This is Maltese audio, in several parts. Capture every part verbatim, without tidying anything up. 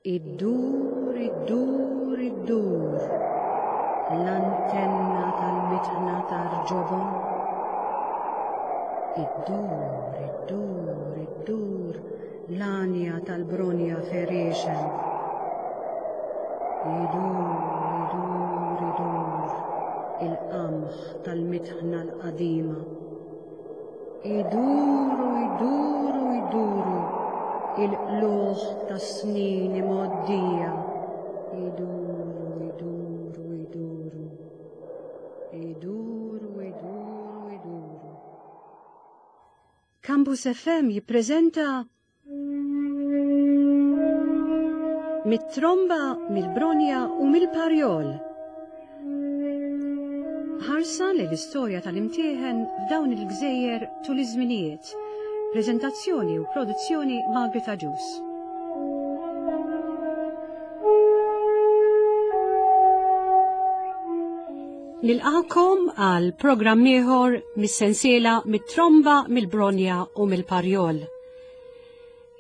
Iddur, iddur, iddur, l-antenna tal-mitħna tar-ġobon. Iddur, iddur, iddur, l-għanja tal-bronja ferixen. Idur, idur, idur, il-qamħ tal-mitħna l-qadima. Iduru, iduru, iduru, il-qluħ tas-snin imgħoddija. Iduru, iduru, iduru. Iduru, iduru, iduru. Campus F M jippreżenta Mit-tromba, mill-bronja u mill-parjol. Ħarsa li l-istorja tal-imtieħen f'dawn il-gżejjer tul iż-żminijiet. Preżentazzjoni u produzzjoni Margaret Agius. Nilqakom għal programm ieħor mis-sensiela mit-tromba, mill-bronja u mill-parjol.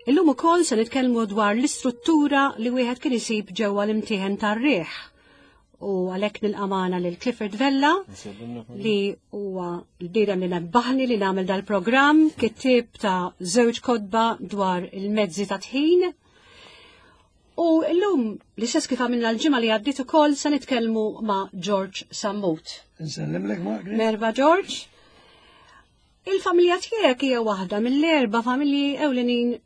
Illum ukoll se nitkellmu dwar l-istruttura li wieħed kien isib ġewwa l-imtieħen tar-riħ. U għalhekk nilqa' magħna lil Clifford Vella li huwa l-bniedem li nebbaħni li nagħmel dal-programm, kittieb ta' żewġ kotba dwar il-mezzi ta' tħin. U llum l-istess kif għamilna l-ġimgħa li għaddiet ukoll se nitkellmu ma' George Sammut. Nsellimlek Margaret. Merba George. Il-familja tiegħek hija waħda mill-erba' familji ewlenin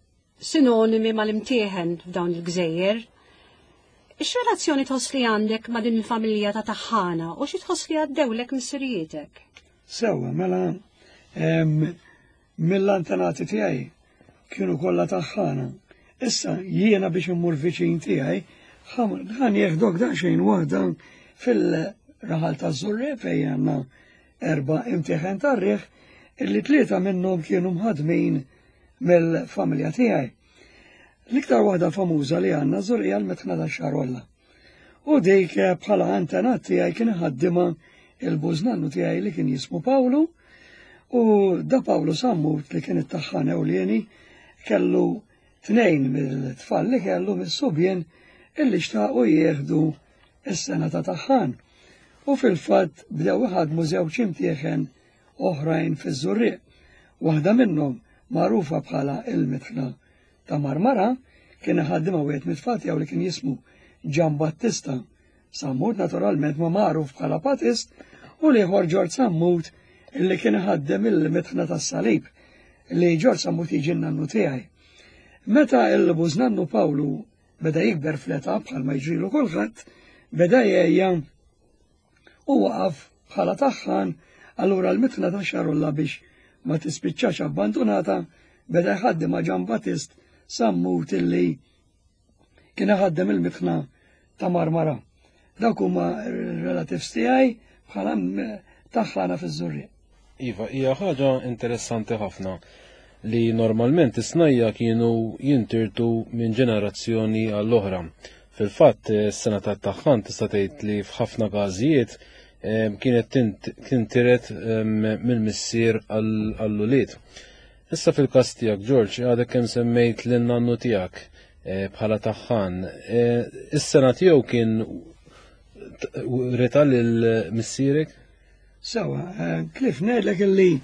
sinonimi mal-imtieħen f'dawn il-gżejjer. X'relazzjoni tħoss li għandek ma' din il-familja ta' taħħana u xi tħoss li għaddewlek missirietek? Sewwa, mela, em, mill-antenati tiegħi kienu kollha taħħana. Issa jiena biex immur viċin tiegħi ħan jeħdok daqsxejn waħda fil-raħal taż-Żurrieq fejn għandna erba' imtieħen tar-riħ illi tlieta minnhom kienu mħadmin mill-familja tiegħi. L-iktar waħda famuża li għandna Żurrieq l-mitħna tax-Xarolla. U dik bħala antenat tiegħi kien iħaddimha il-bużnannu tiegħi li kien jismu Pawlu, u da Pawlu Sammut li kien it-taħħan ewlieni kellu tnejn mill-tfal li kellu mis-subien illi xtaqu jieħdu s-sena ta' taħħan. U fil-fatt bdew iħadmu żewġ imtieħen oħrajn fiż-Żurrieq. Waħda minnhom magħrufa bħala il-mitħna ta' Marmara kien iħaddimha wieħed mit-tfal tiegħu li kien jismu Ġan Battista Sammut, naturalment ma magħruf bħala Patist, u l-ieħor Ġorġ Sammut illi kien iħaddem il-mitħna tas-Salib li Ġorġ Sammut jiġi n-nannu tiegħi. Meta l-bużnannu Pawlu beda jikber fl-età bħalma jiġrilu kulħadd, beda jgħejja u waqaf bħala taħħan, allura l-mitħna ta' Xarolla biex ma tispiċċax abbandonata beda jħaddem ma' Ġan Battist Sammut illi kien iħaddem il-mitħna ta' Marmara. Dawk huma relatives tiegħi bħala taħħana fiż-Żurrieq. Iva, hija ħaġa interessanti ħafna li normalment is-snajja kienu jintirtu minn ġenerazzjoni għall-oħra. Fil-fatt, is-sena tat-taħħan tista' tgħid li f'ħafna każijiet, em, kienet tint-, tintiret, em, mill-missier għall-ulied. Issa fil-każ tiegħek, George, għadek kemm semmejt lin-nannu tiegħek, eh, bħala taħħan. Eh, is-sena tiegħu kien rita lil missierek? Sewa, eh, Cliff, ngħidlek illi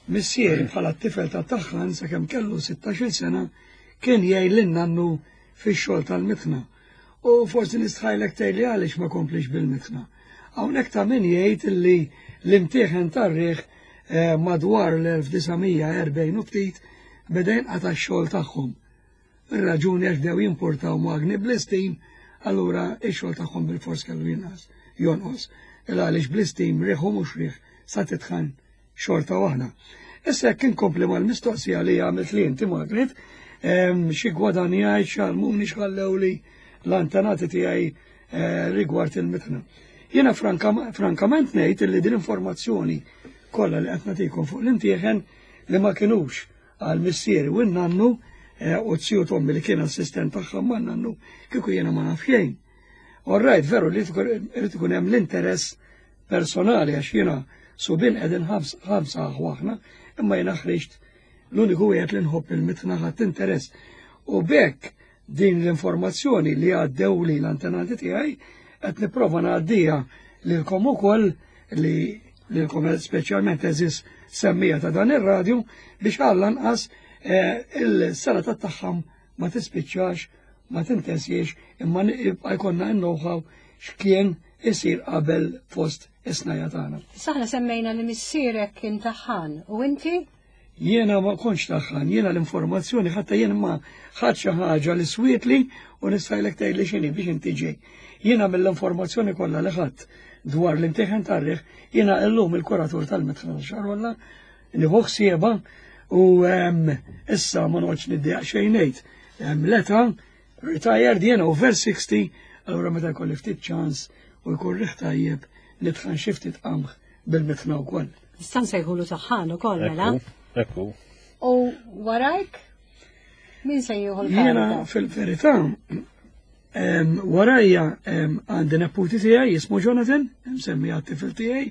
missieri bħala t-tifel ta' taħħan sakemm kellu sittax-il sena kien jgħin lin-nannu fix-xogħol tal-mitħna. U forsi nistħajlek tgħidli għaliex ma komplix bil-mitħna. Hawnhekk ta' min jgħid illi l-imtieħen tar-riħ, eh, madwar l-elf disa' mija erbgħin u ftit beda jinqata' x-xogħol tagħhom. Ir-raġuni għax bdew jimportaw magni bl-istim, allura x-xogħol tagħhom bil-fors kellu jinqas, jonqos. Illa għaliex bl-istim riħ u mhux riħ sa titħan xorta waħda. Issa jekk inkompli mal-mistoqsija li għamilt li inti Margaret, em, xi gwadanjajt, x'għallmuni, x'ħallewli l-antenati tiegħi, eh, rigward il-mitħna. Jiena franka-, frankament ngħid li din informazzjoni kollha li qed nagħtikom fuq l-imtieħen li ma kinux għal missieri u n-nannu, eh, u t-siju tommi li kien assistent tagħha ma' nannu kieku jiena ma naf xejn. All right, veru li irid ikun hemm l-interess personali għax jiena subien qegħdin ħams-, ħamsa aħwa, imma jiena ħriġt l-uniku wieħed li nħobb il-mitħna ħadd interess. U bekk din l-informazzjoni li għaddew li l-antenati tiegħi qed nipprova ngħaddija lilkom ukoll li lilkom speċjalment eżis semmija ta' dan ir-radju biex għall-anqas eh, il-sena tat-taħħam ma tispiċċax, ma tintesiex, imma jibqa' jkollna n-know-how x'kien isir qabel fost is-snajja tagħna. Saħna semmejna li missierek kien taħħan u inti? Jiena ma kontx taħħan, jiena l-informazzjoni ħatta jien ma ħadd xi ħaġa li swietli u nistajlek tgħidli x'inhi biex inti ġej. Jiena mill-informazzjoni kollha li ħadd dwar l-imtieħen tar-riħ, jiena llum il-kuratur tal-Mitħna Xarolla, nieħu ħsiebha u issa ma noqgħodx niddejjaq xejn ngħid. L-età retired jiena over sixty, allura meta jkolli ftit ċans u jkun riħ tajjeb nitħan xi ftit qamħ bil-mitħna wkoll. Nista' nsejħulu taħħan ukoll mela. Ekku. U warajk min se jieħu Jiena l-kariga? fil-verità warajja għandi neputi tiegħi jismu Jonathan, msemmi għat-tifel tiegħi.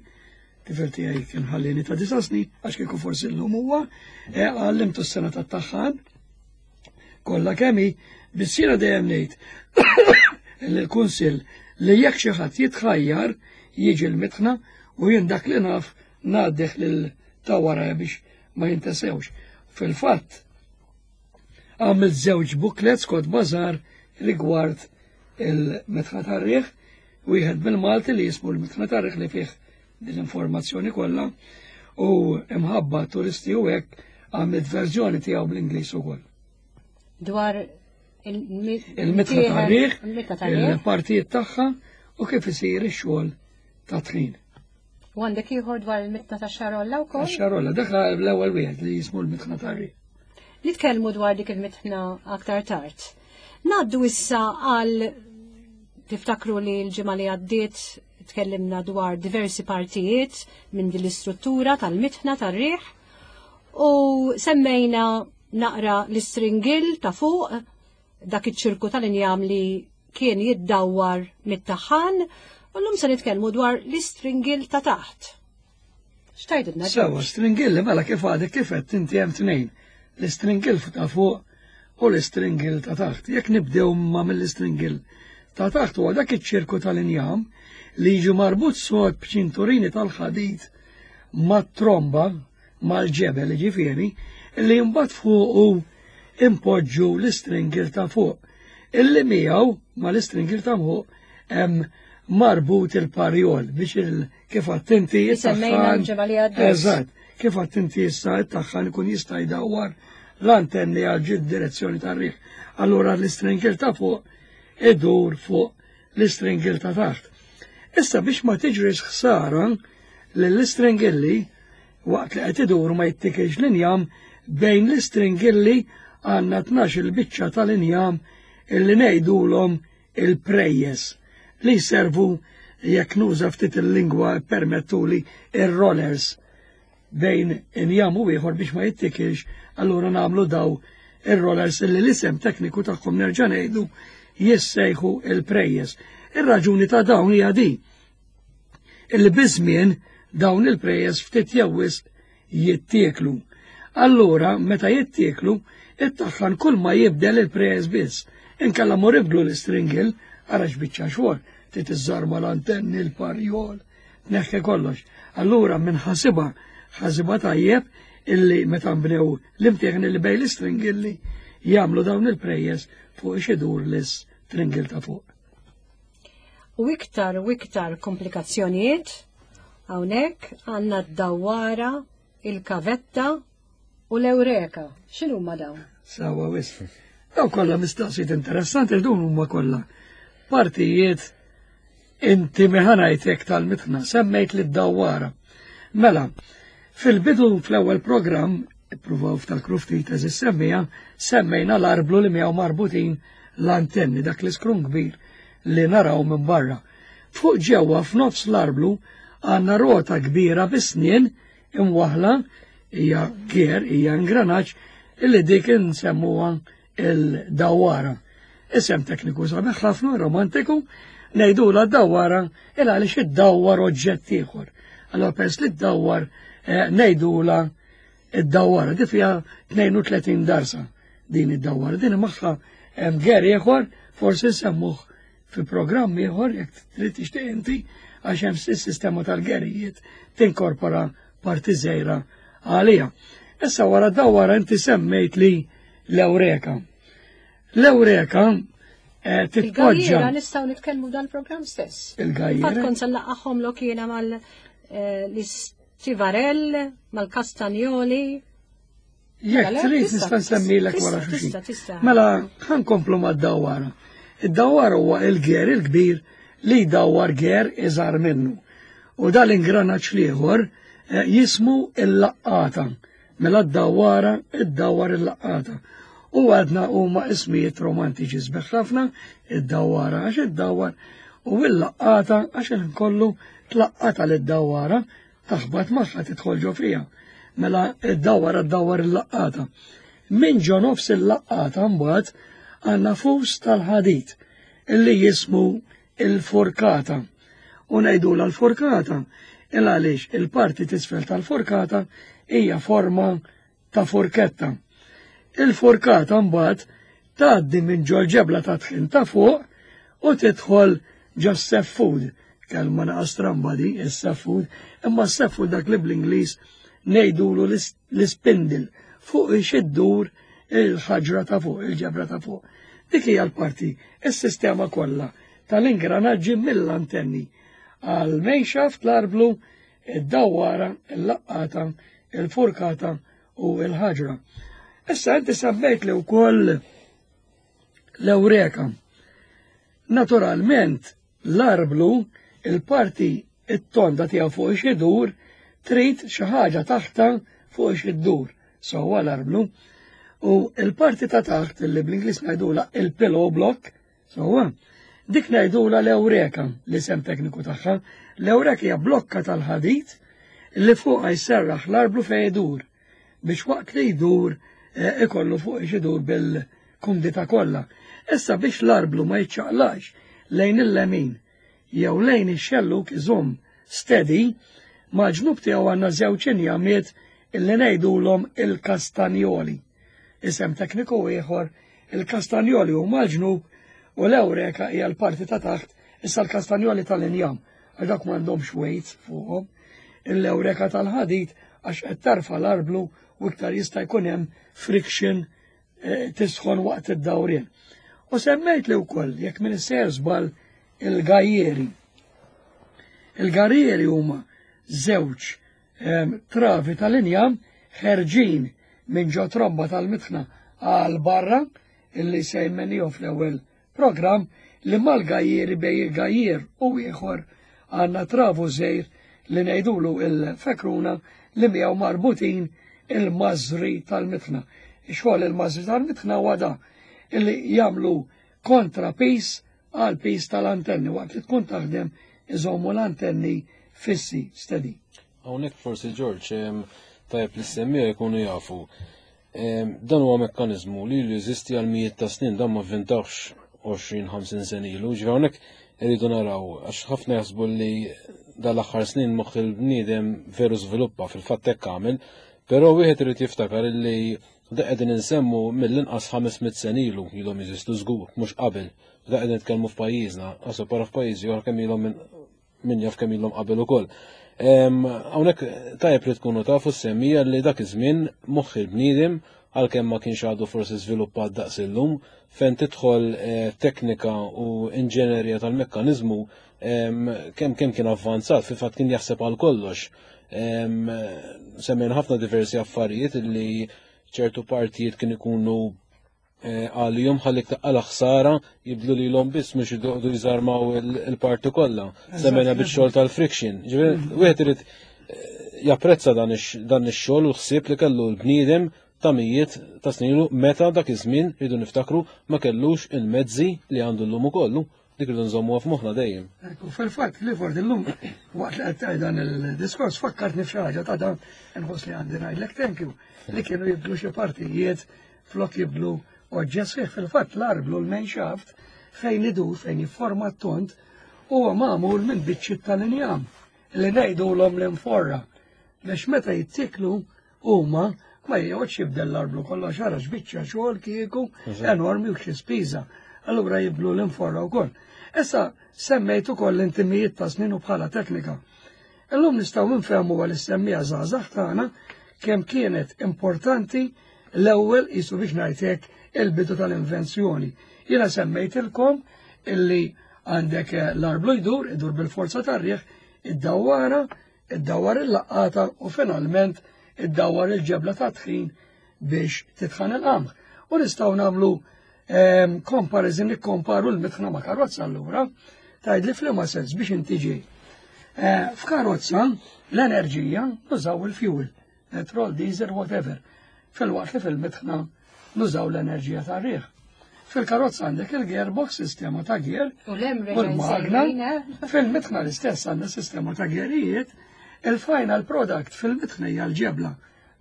Tifel tiegħi kien ħallini ta' disa' snin, għax kieku forsi llum huwa, e, għallimtu s-sena tat-taħħan. Kollha kemm hi, biss jiena dejjem ngħid l-kunsill li jekk xi ħadd jitħajjar jiġi l-mitħna u jien dak li naf ngħaddih lil ta' warajja biex ma jintesewx. Fil-fatt, għamilt żewġ booklets kod bażar rigward il-mitħna tar-riħ, wieħed bil-Malti li jismu l-mitħna tar-riħ li fih din l-informazzjoni kollha u imħabba turisti u hekk għamilt verżjoni tiegħu bl-Ingliż ukoll. Dwar il-mitħna tar-riħ, il-mitħna tar-riħ. il-partijiet tagħha u kif isir ix-xogħol ta' tħin. U għandek ieħor dwar il-mitħna ta' Xarolla wkoll? Xarolla, dak l-ewwel wieħed li jismu l-mitħna tar-riħ. Nitkellmu dwar dik il-mitħna aktar tard. Ngħaddu issa għal tiftakru li l-ġimgħa li għaddiet tkellimna dwar diversi partijiet minn din l-istruttura tal-mitħna tar-riħ u semmejna naqra l-istringil ta' fuq dak iċ-ċirku tal-injam li kien jiddawwar mit-taħħan u llum se nitkellmu dwar l-istringil ta' taħt. X'tgħidilna? Sewa, stringilli mela kif għadek kif qed inti hemm tnejn. L-istringil ta' fuq u l-istringil ta' taħt. Jekk nibdew ma mill-istringil ta' taħt huwa dak iċ-ċirku tal-injam li jiġi marbut sod b'ċinturini tal-ħadid mat-tromba mal-ġebel ġifieri li mbagħad fuqu impoġġu l-istringil ta' fuq. Illi miegħu mal-istringil ta' fuq hemm marbut il-parjol biex il kif attenti Semmejna l-ġimgħa li għaddiet. Eżatt, kif attenti issa it-taħħan ikun jista' jdawwar l-antenni għal ġid direzzjoni tar-riħ. Allura l-istringil ta' fuq idur fuq l-istringil ta' taħt. Issa biex ma tiġrix ħsara lill-istringilli waqt li qed idur ma jittikilx l-injam bejn l-istringilli għandna tnax il-biċċa tal-injam illi ngħidulhom il-prejjes li jservu jekk nuża ftit il-lingwa permettuli ir-rollers bejn injam u ieħor biex ma jittikilx, allura nagħmlu daw ir-rollers illi l-isem tekniku tagħhom nerġa' ngħidu jissejħu il-prejjes. Ir-raġuni ta' dawn hija di. Illi biż-żmien dawn il-prejjes ftit jew wisq jittieklu. Allura meta jittieklu, it-taħħan kull ma jibdel il-prejjes biss. Inkella mur ibdlu l-istringil, ara x'biċċa xogħol, trid iżżarma l-antenni, l-parjol, tneħħi kollox. Allura minn ħasiba, ħasiba tajjeb illi meta nbnew l-imtieħen illi bejn l-istringilli jagħmlu dawn il-prejjes fuq xidur l-istringil ta' fuq. U iktar u iktar komplikazzjonijiet hawnhekk għandna d-dawwara, il-kavetta u l-eureka. X'inhuma dawn? Sawa wisq. Daw kollha mistoqsijiet interessanti dawn huma kollha partijiet intimi ħa ngħidlek tal-mitħna, semmejt li d-dawwara. Mela, fil-bidu fl-ewwel programm, ippruvaw ftakru ftit eżis semmija, semmejna l-arblu li miegħu marbutin l-antenni, dak l-iskrun kbir li naraw minn barra. Fuq ġewwa f'nofs l-arblu għandna rota kbira bis-snien imwaħla hija gear, hija ingranaġġ illi dik insemmuha il-dawwara. Isem tekniku sabiħ ħafna romantiku, ngħidula d-dawwara il għaliex iddawwar oġġett ieħor. Allora pers li ddawwar eh, ngħidula id-dawwara, di fiha tnejn u tletin darsa din id-dawwara, din magħha Hemm ger ieħor forsi semmuh fi programm ieħor jekk trid tixtieq inti, għax hemm is-sistema tal-gerijiet tinkorpora parti żgħira għalija. Issa wara dawara inti semmejt li l-Ewreka. L-Ewreka eh, titpoġġa. Il-gajjera nistgħu nitkellmu dal-programm stess. Il-gajjera. Fatt kont se nlaqqagħhom lok jiena mal eh, l-istivarell, mal-kastanjoli. Jekk Mela, trid tista' nista' nsemmilek wara tista' xulxin. Tista' tista'. Mela ħa nkomplu mad-dawara. Id-dawara huwa il-ger il-kbir li jdawwar ger iżgħar minnu. U dal-ingranaġġ l-ieħor eh, jismu il-laqqata. Mela d-dawara id-dawar il-laqqata. U għadna huma ismijiet romantiċi sbeħ ħafna, id-dawara għax id-dawar u il-laqqata għax il kollu tlaqqata lid-dawara, taħbat magħha, tidħol ġo fiha. Mela id-dawara ddawar il-laqqata. Min ġo nofs il-laqqata mbagħad għandna fus tal-ħadid illi jismu il-forkata. U ngħidula l-forkata il għaliex il-parti t'isfel tal-forkata hija forma ta' forketta. Il-forkata mbagħad tgħaddi minn ġol ġebla ta' tħin ta' fuq u tidħol ġo seffud. Kelma naqra stramba di, is-seffud, imma s-seffud dak li bl-Ingliż ngħidulu l-ispindle fuq iddur il-ħaġra ta' fuq, il-ġebla ta' fuq. Dik hija l-parti, is-sistema kollha tal-ingranaġġi mill-antenni għal main shaft, l-arblu, id-dawara, il-laqqata, il-furkata u il-ħaġra. Issa inti semmejt li wkoll l-Ewreka. Naturalment, l-arblu, il-parti it-tonda tiegħu fuq xidur, trid xi ħaġa taħta fuq xiddur. Sewwa l-arblu. U il-parti ta' taħt li bl-Ingliż ngħidula il-pillow block, sewwa, dik ngħidula l-Ewreka, l-isem tekniku tagħha. L-Ewreka hija blokka tal-ħadid li fuqha jserraħ l-arblu fejn idur biex waqt li jdur eh, ikollu fuq idur bil-kumdita kollha. Issa biex l-arblu ma jiċċaqlax lejn il-lemin jew lejn ix-xelluk, iżomm steady, mal-ġnub tiegħu għandna żewġ injamiet illi ngħidulhom il-kastanjoli. Isem tekniku ieħor, il-kastanjoli huma l-ġnub u l-Ewreka hija l-parti ta' taħt. Issa l-kastanjoli tal-injam, għax dak m'għandhomx weights fuqhom. Il-Ewreka tal-ħadid għax qed tarfa l-arblu u iktar jista' jkun hemm friction, eh, tisħon waqt id-dawrien. U semmejt li wkoll, jekk m'iniex sejjer żball, il-gajjeri. Il-gajjeri huma żewġ travi tal-injam ħerġin minn ġo tromba tal-mitħna għal barra illi semmejnihom fl-ewwel program, li mal-gajjieri, bejn il-gajjier u ieħor għandna travu żgħir li ngħidulu il-fekruna li miegħu marbutin il-mażri tal-mitħna. Xogħol il-mażri tal-mitħna huwa da illi jagħmlu kontra piż għal piż tal-antenni waqt li tkun taħdem, iżommu l-antenni fissi, steady. Hawnhekk forsi, George, tajjeb li semmija jkunu jafu. Dan huwa mekkaniżmu li jeżisti għal mijiet ta' snin, dan ma vvintawx għoxrin ħamsin sena ilu. Ġifieri hawnhekk irridu naraw għax ħafna jaħsbu li dal-aħħar snin moħħ il-bniedem veru żviluppa, fil-fatt hekk għamel, però wieħed irid jiftakar li da qegħdin insemmu mill-inqas ħames mitt sena ilu ilhom jeżistu żgur, mhux qabel. Da qegħdin nitkellmu f'pajjiżna, għasu para f'pajjiżi oħra kemm ilhom, min jaf kemm ilhom qabel ukoll. Hawnhekk tajjeb li tkunu tafu semmija li dak iż-żmien moħħ il-bniedem, għalkemm ma kienx għadu forsi żviluppat daqs illum, fejn tidħol eh, teknika u inġenerija tal-mekkaniżmu, kemm kemm kien avvanzat, fil-fatt kien jaħseb għal kollox. Semmejn ħafna diversi affarijiet li ċertu partijiet kien ikunu eh, għalihom ħalli taqala ħsara jibdlu li l biss mhux idoqdu jżarmaw il-parti kollha. Semmejna bix-xogħol tal-friction. Ġifieri wieħed irid eh, japprezza dan ix-xogħol u ħsieb li kellu l-bniedem ta' mijiet ta' snin, meta dak iż-żmien, rridu niftakru, ma kellux il-mezzi li għandu llum ukollu. Dik rridu nżommuha f'moħħna dejjem. Ekku, fil-fatt, li forti llum, waqt li qed dan il-diskors, fakkartni f'xi ħaġa ta' dan, nħoss li għandi ngħidlek thank you, li kienu jibdlu xi partijiet flok jibdlu oġġett sħiħ. Fil-fatt l-arblu, l-main shaft, fejn idur, fejn jifforma t-tont, huwa magħmul minn biċċiet tal-injam li ngħidulhom l-inforra. Biex meta jittiklu huma Ma joqgħodx jibdel l-arblu kollha xara x'biċċa xogħol kieku enormi u xi spiża. Allura jibdlu l-inforra wkoll. Issa semmejt ukoll l-intimijiet ta' snin u bħala teknika. Illum nistgħu nfehmu għal is-semmija żgħażagħ tagħna kemm kienet importanti l-ewwel qisu biex ngħidlek il-bidu tal-invenzjoni. Jiena semmejtilkom illi għandek l-arblu jdur, idur bil-forza tar-riħ, id-dawwara, id-dawwar il-laqqata u finalment id-dawwar il-ġebla ta' tħin biex titħan il-qamħ. U nistgħu nagħmlu comparison, nikkomparu l-mitħna ma' karozza allura, tgħid li f'liema sens biex inti ġej. F'karozza l-enerġija nużaw il-fuel, petrol, diesel, whatever. Fil-waqt li fil-mitħna nużaw l-enerġija tar-riħ. Fil-karozza għandek il-gearbox, sistema ta' gear, U l-magna, fil-mitħna l-istess għandna sistema ta' gearijiet, il-final product fil-mitħna hija l-ġebla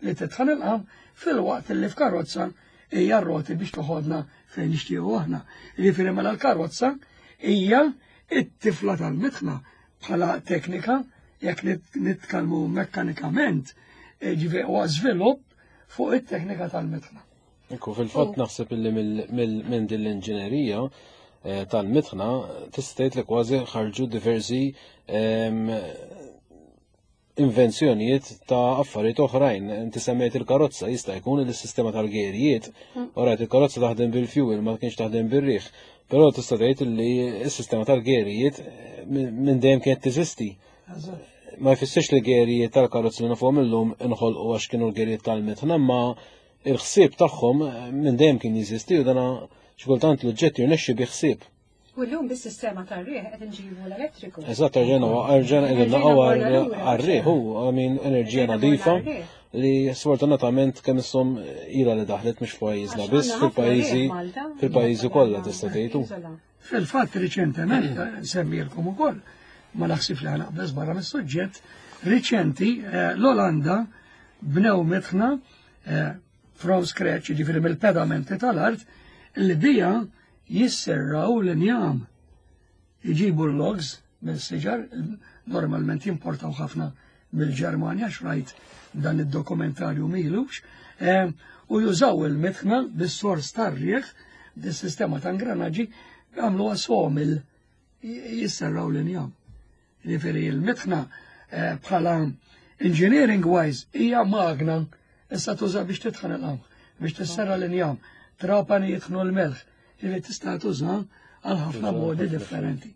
li titħan il-qam fil-waqt li f'karozza hija r-roti biex toħodna fejn nixtiequ aħna. Jiġifieri mela l-karozza hija it-tifla tal-mitħna bħala teknika jekk nitkellmu mekkanikament, ġifieri huwa żvilupp fuq it-teknika tal-mitħna. Ekku, fil-fatt naħseb illi minn din l-inġinerija tal-mitħna tista' tgħid li kważi ħarġu diversi invenzjonijiet ta' affarijiet oħrajn. Inti semmejt il-karozza, jista' jkun li s-sistema tal-gerijiet, orajt il-karozza taħdem bil-fuel, ma kienx taħdem bir-riħ. Però tista' tgħid li s-sistema tal-gerijiet minn dejjem kienet teżisti. Ma jfissirx li gerijiet tal-karozza li nafuhom illum inħolqu għax kienu l-gerijiet tal-mitħna, ma il-ħsieb tagħhom minn dejjem kien jeżisti u dana xi kultant l-oġġett jirnexxi bi ħsieb. U llum bis-sistema tar-riħ qed inġibu l-elettriku. Eżatt, rġena rġena qegħdin naqgħu għar-riħ hu għamin enerġija nadifa li sfortunatament kemm issom ilha li daħlet mhux f'pajjiżna biss, fil-pajjiżi fil-pajjiżi kollha tista' tgħidu. Fil-fatt riċentement nsemmilkom ukoll, ma naħsib li ħanaqbeż barra mis-suġġett, riċenti l-Olanda bnew mitħna from scratch, jiġifieri mill-pedamenti tal-art, li bija jisserraw l-injam. Iġibu l-logs mill-siġar, normalment jimportaw ħafna mill-Ġermanja, xrajt dan id-dokumentarju milux, u jużaw il-mitħna bis-sors tar-riħ, bis-sistema ta' ingranaġġi, għamlu sawmill jisserraw l-injam. Jiġifieri il-mitħna bħala engineering wise hija magna issa tuża biex titħan il-qamħ, biex tisserra l-injam, trapani jitħnu l-melħ, li tista' tuża għal ħafna modi differenti.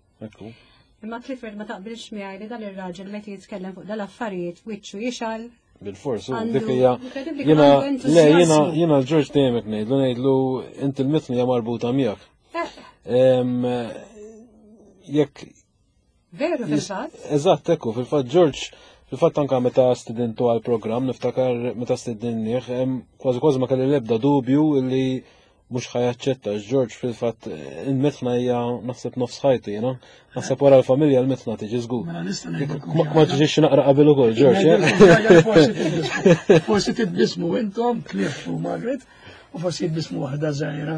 Imma Clifford, ma taqbilx miegħi li dan ir-raġel meta jitkellem fuq dal-affarijiet wiċċu jixgħel? Bil-fors, dik hija jiena le jiena jiena l-Ġorġ dejjem hekk ngħidlu ngħidlu inti l-mitħna hija marbuta miegħek. Jekk Veru fil-fatt? Eżatt, ekku, fil-fatt Ġorġ, fil-fatt anka meta stidintu għal-programm, niftakar meta stidinnieh, kważi kważi ma kelli l-ebda dubju li mhux ħa jaċċetta. Ġorġ fil-fatt il-mitħna hija naħseb nofs ħajtu jiena. Naħseb wara l-familja l-mitħna tiġi żgur. Mela nista' ngħidilkom Ma tiġix naqra qabel ukoll, Ġorġ. Forsi titbismu intom, Cliff u Margaret, u forsi jitbismu waħda żgħira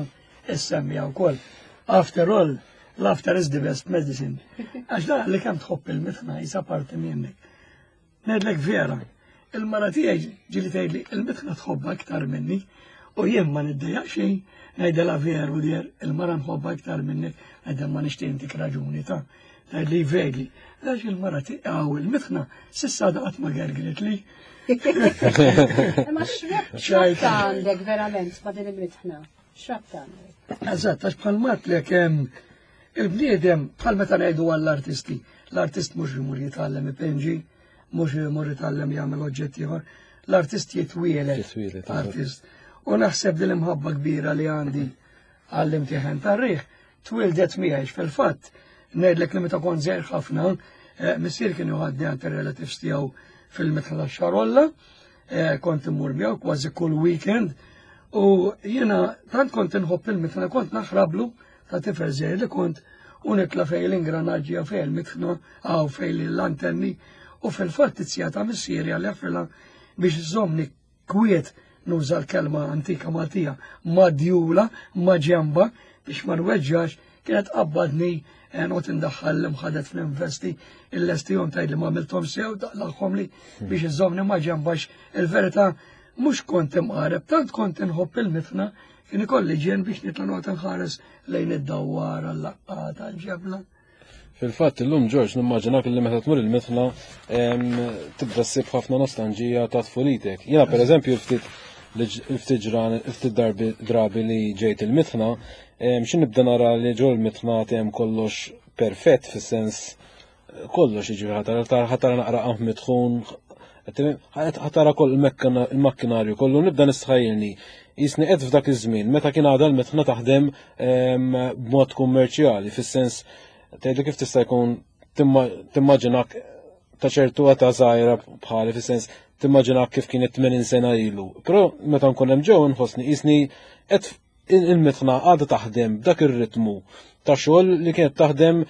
issemmija wkoll. After all, laughter is the best medicine. Għax da li kemm tħobb il-mitħna jisa parti minnek. Ngħidlek vera, il-mara tiegħi ġieli tgħidli il-mitħna tħobbha iktar minni u jien ma niddejjaq xejn, ngħidilha veru dear, il-mara nħobbha iktar minnek, ngħidha ma nixtieq intik raġuni ta' tgħidli vegli. Għax il-mara tiegħu il-mitħna s'issa daqat ma gergret li. Imma x'rabta għandek verament ma' din il-mitħna? X'rabta għandek? Eżatt, għax bħal matlek il-bniedem bħal meta ngħidu għall-artisti, l-artist mhux imur jitgħallem ipinġi, mhux imur jitgħallem jagħmel oġġett ieħor, l-artist jitwieled. Jitwieled, artist. U naħseb din l-imħabba kbira li għandi għall-imtieħen tar-riħ twildet miegħi fil-fatt. Ngħidlek li meta kont żgħir ħafna, missier kien joħadni għand ir-relatives tiegħu fil-mitħna tax-Xarolla, kont immur miegħu kważi kull weekend, u jiena tant kont inħobb il-mitħna kont naħrablu ta' tifel żgħir li kont u nitla' fejn l-ingranaġġi fejn il-mitħna għaw fejn l-antenni, u fil-fatt it-sija ta' missieri għal jaffrilha biex iżommni kwiet, nuża l-kelma antika Maltija, madjula, ma ġemba, biex ma nweġġax, kienet qabbadni noqgħod indaħħal l-imħadet fl-investi, il-lestijom tgħid li ma għamilthom sew, daqlaħħom li biex iżommni ma ġembax. Il-verità Mhux kont imqareb, tant kont inħobb il-mitħna, kien ikolli ġien biex nitla' noqgħod nħares lejn id-dawwara, l-laqqata, l-ġebla. Fil-fatt illum Ġorġ nimmaġinak li meta tmur il-mitħna tibda ssib ħafna nostalġija ta' tfulitek. Jiena pereżempju ftit ftit ġran ftit darbi drabi li ġejt il-mitħna, xi nibda nara li ġol il-mitħna hemm kollox perfett fis-sens kollox jiġifieri ħa tara naqra qamħ mitħun, ħa tara koll il-makkinarju kollu nibda nistħajjilni. Jisni qed f'dak iż-żmien meta kien għadha l-mitħna taħdem b'mod kummerċjali, fis-sens tgħidli kif tista' jkun timmaġinak ta' ċertu għata żgħira bħali fis-sens timmaġinak kif kienet tmenin sena ilu. Però meta nkun hemm ġew nħossni qisni qed il-mitħna għadha taħdem b'dak ir-ritmu ta' xogħol li kienet taħdem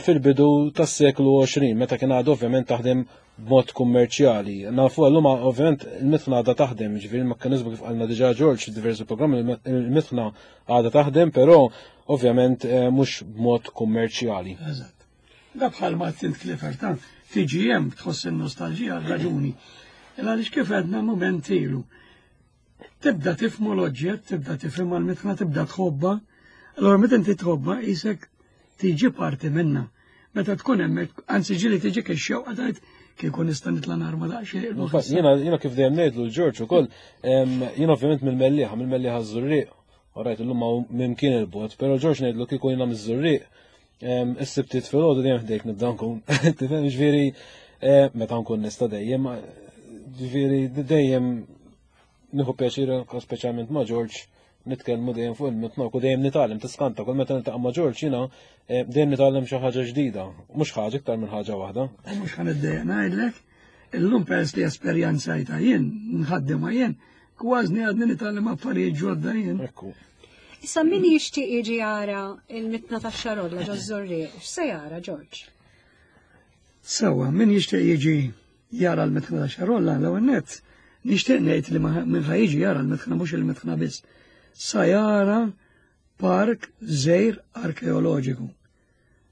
fil-bidu tas-seklu għoxrin, meta kien għadha ovvjament taħdem b'mod kummerċjali. Nafu llum ovvjament il-mitħna għadha taħdem, ġifieri il-mekkaniżmu kif qalna diġà Ġorġ f'diversi programmi, il-mitħna għadha taħdem, però ovvjament mhux b'mod kummerċjali. Eżatt. Da bħal ma tint Clifford, ta' tiġi hemm tħoss in-nostalġija raġuni. Għaliex kif għedna mument ilu. Tibda tifhmu l-oġġett, tibda tifhimha l-mitħna, tibda tħobbha. Allora meta inti tħobbha qisek tiġi parti minna. Meta tkun hemmhekk, anzi ġieli tiġik ix-xewqa tgħid kieku nista' nitla' narma daqsxejn. Jiena jiena kif dejjem ngħidlu l-Ġorġ ukoll, jiena ovvjament mill-Mellieħa, mill-Mellieħa ż-Żurrieq, orajt illum hawn mimkien il-bogħod, però Ġorġ ngħidlu kieku jiena miż-Żurrieq, is-Sibtiet filgħodu dejjem ħdejk nibda nkun. Tifhem, ġifieri meta nkun nista' dejjem, ġifieri dejjem nieħu pjaċir speċjalment ma' Ġorġ nitkellmu dejjem fuq il-mitħna u dejjem nitgħallem, tiskanta kull meta niltaqa' ma' Ġorġ jiena dejjem nitgħallem xi ħaġa ġdida, mhux ħaġa iktar minn ħaġa waħda. U mhux ħa niddejjaq ngħidlek, illum peress li esperjenzajta jien, nħaddimha jien, kważi għadni nitgħallem affarijiet ġodda jien. Ekku. Issa min jixtieq jiġi jara il-mitħna tax-Xarolla ġo Żurrieq, x'se jara Ġorġ? Sewwa, min jixtieq jiġi jara l-mitħna tax-Xarolla l-ewwel nett, nixtieq ngħid li min ħa jiġi jara l-mitħna mhux il-mitħna biss. Sa jara park żgħir arkeoloġiku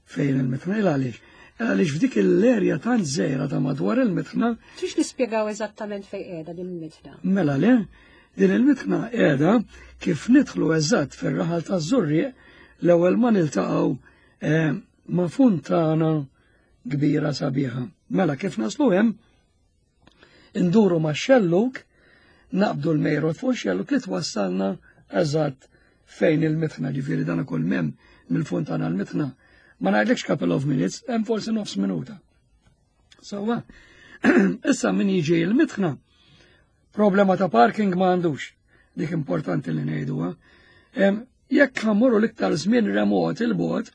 fejn il-mitħna. Għaliex? Għaliex f'dik l-erja tant żgħira ta' madwar il-mitħna. Tix nispjegaw eżattament fejn qiegħda din il-mitħna? Mela le, din il-mitħna qiegħda kif nidħlu eżatt fir-raħal taż-Żurrieq, l-ewwel ma niltaqgħu ma' funtana kbira sabiħa. Mela kif naslu hemm, induru ma' xelluk, naqbdu l-mejrot fuq xelluk li twassalna eżatt fejn il-mitħna, ġifieri dan ukoll mem mill-funtana l-mitħna. Ma ngħidlekx couple of minutes, hemm forsi nofs minuta. Sewwa, issa min jiġi l-mitħna, problema ta' parking ma għandux, dik importanti li ngħiduha. Jekk ħammurru l-iktar żmien remot il-bogħod,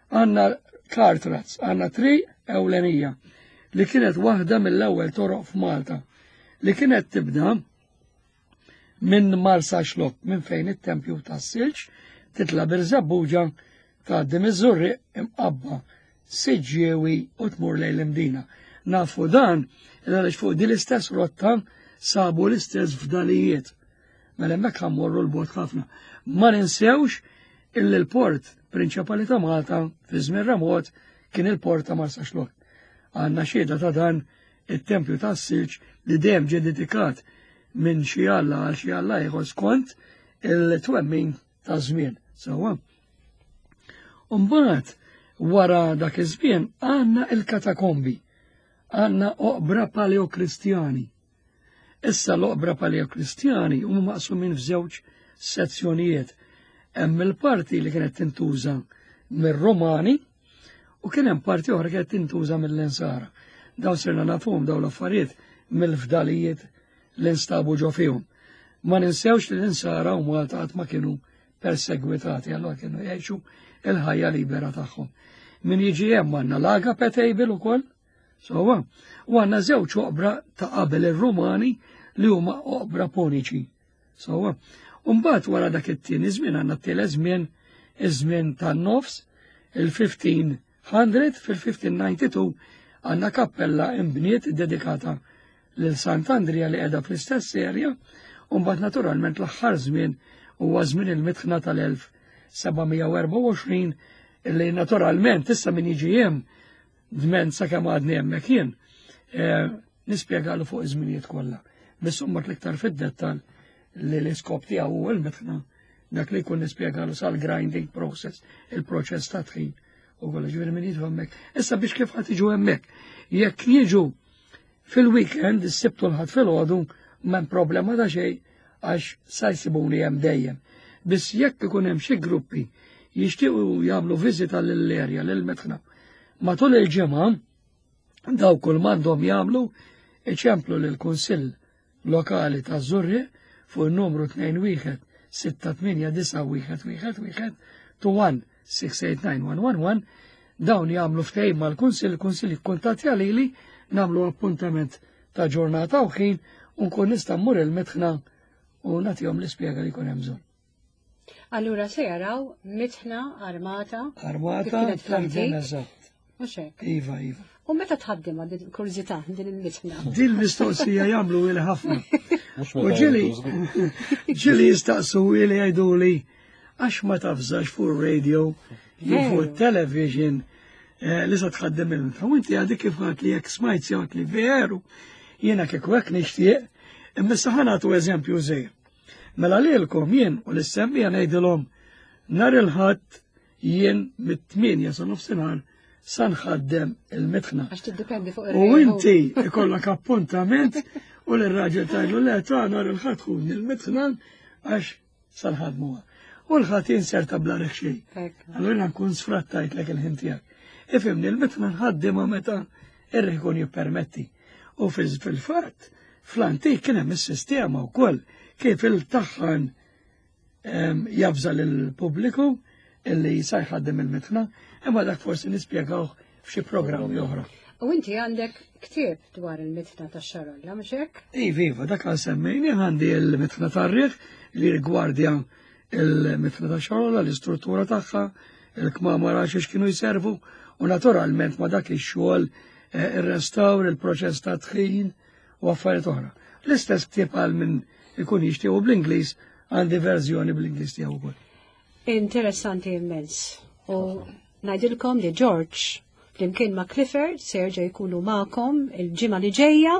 għandna cart ruts, għandna triq ewlenija li kienet waħda mill-ewwel toroq f'Malta, li kienet tibda minn Marsaxlokk, minn fejn it-tempju tas-Silġ, titla' Birżebbuġa, tgħaddi miż-Żurrieq imqabba Siġġiewi u tmur lejn l-Imdina. Nafu dan għaliex fuq din l-istess rotta sabu l-istess fdalijiet. Mela hemmhekk ħammorru l-bogħod ħafna. Ma ninsewx illi l-port prinċipali ta' Malta fi żmien remot kien il-port ta' Marsaxlokk. Għandna xhieda ta' dan it-tempju tas-Silġ li dejjem ġie dedikat minn xi alla għal xi alla ieħor skont il-twemmin ta' żmien. Sewwa. Mbagħad wara dak iż-żmien għandna il-katakombi, għandna oqbra paleokristjani. Issa l-oqbra paleokristjani huma maqsumin f'żewġ sezzjonijiet. Hemm il-parti li kienet tintuża mir-Romani u kien hemm parti oħra kienet tintuża mill-Insara. Dawn sirna nafhom dawn l-affarijiet mill-fdalijiet li nstabu ġo fihom. Ma ninsewx li l-Insara u Malta qatt ma kienu persegwitati, allora kienu jgħixu il-ħajja libera tagħhom. Min jiġi hemm għandna l-Agape Table ukoll, sewwa, u għandna żewġ oqbra ta' qabel ir-Rumani li huma oqbra poniċi. Sewwa. U mbagħad wara dak it-tieni żmien għandna t-tielet żmien, iż-żmien tan-nofs, il-fifteen hundred, fil-fifteen ninety-two għandna kappella imbniet dedikata lil Sant'Andrija li qiegħda fl-istess serja, u mbagħad naturalment l-aħħar żmien huwa żmien il-mitħna tal-elf seba' mija u erbgħa u għoxrin illi naturalment issa min jiġi hemm dment sakemm għadni hemmhekk jien, eh, nispjegalu fuq iż-żminijiet kollha. Biss imbagħad l-iktar fid-dettall li l-iskop tiegħu hu l-mitħna dak li jkun nispjegalu sal-grinding process, il-proċess ta' tħin u kollox, ġifieri min jiġu hemmhekk. Issa biex kif ħadd jiġu hemmhekk? Jekk jiġu fil-weekend, is-Sibt u l-Ħadd filgħodu, m'hemm problema ta' xejn għax sa jsibuni hemm dejjem. Biss jekk ikun hemm xi gruppi jixtiequ jagħmlu viżita lill-erja, lill-mitħna, matul il-ġimgħa daw kull m'għandhom jagħmlu iċemplu lill-Kunsill Lokali ta' Żurrieq fuq in-numru tnejn wieħed sitta tmienja disa' wieħed wieħed wieħed two one six eight nine one one one, dawn jagħmlu ftehim mal-Kunsill, il-Kunsill jikkuntattja lili, nagħmlu appuntament ta' ġurnata u ħin u nkun nista' mmur il-mitħna u nagħtihom l-ispjega li jkun hemm bżonn. Allura se jaraw mitħna armata. Armata, kif kienet fl-antik. taħdem eżatt. Mhux hekk? Iva, iva. U meta tħaddem għad kurżità din il-mitħna? Din mistoqsija jagħmlu ili ħafna. Mhux U meta ġieli jgħidu żgur. ġieli jistaqsu ili jgħiduli għax ma tafżax fuq radio jew fuq Veru. television, eh, li se tħaddem il-mitħna. U inti għadek kif għad li jekk smajt jew li veru jiena kieku hekk nixtieq, imma issa ħa nagħtu eżempju żgħir. Mela lilkom jien u l-issemmija ngħidilhom nhar il-Ħadd jien mit-tmienja sa nofsinhar sa nħaddem il-mitħna. Għax tiddependi fuq U ir-reħu. inti ikollok appuntament u l-raġel tgħidlu le ta' nhar il-Ħadd ħudni il-mitħna għax sa nħadmuha. U l-Ħadd jinserta bla riħ xejn. Hekk. Allura nkun sfrattajtlek il-ħin tiegħek. Ifhimni, il-mitħna nħaddimha meta ir-riħ ikun jippermetti. U fil-, fil-fatt, fl-antik kien hemm is-sistema wkoll kif il-taħħan, em, jabża lill-pubbliku illi sa jħaddem il-mitħna, imma dak forsi nispjegawh f'xi programmi oħra. U inti għandek ktieb dwar il-mitħna tax-Xarolla, mhux hekk? Iva, iva, dak għal semmejni għandi il-mitħna tar-riħ li rigwardja il-mitħna tax-Xarolla, l-istruttura tagħha, il-kmamar għal xiex kienu jservu, u naturalment ma dak ix-xogħol, eh, ir-restawr, il-proċess ta' tħin u affarijiet oħra. L-istess ktieb għal min ikun jixtiequ bl-Ingliż, għandi verżjoni bl-Ingliż tiegħu wkoll. Interessanti immens. U ngħidilkom li George flimkien ma' Clifford se jerġa' jkunu magħkom il-ġimgħa li ġejja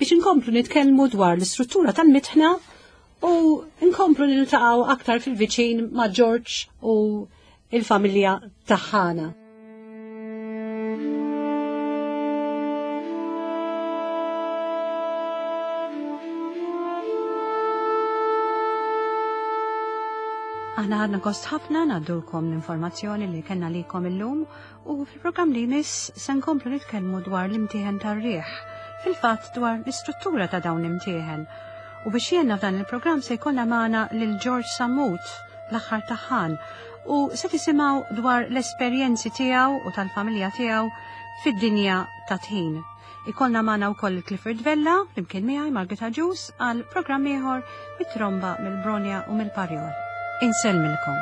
biex inkomplu nitkellmu dwar l-istruttura tal-mitħna u nkomplu niltaqgħu aktar fil-viċin ma' George u il-familja taħħana. Aħna ħadna gost ħafna ngħaddulkom l-informazzjoni li kellna likom illum u fil-programm li jmiss se nkomplu nitkellmu dwar l-imtieħen tar-riħ, fil-fatt dwar l-istruttura ta' dawn l-imtieħen. U biex jenna f'dan il-programm se jkollna magħna lil George Sammut, l-aħħar taħħan, u se tisimgħu dwar l-esperjenzi tiegħu u tal-familja tiegħu fid-dinja ta' tħin. Ikollna magħna wkoll Clifford Vella, flimkien miegħi Margaret Agius, għal programm ieħor mit-tromba mill-Bronja u mill-Parjol. Insellmilkom.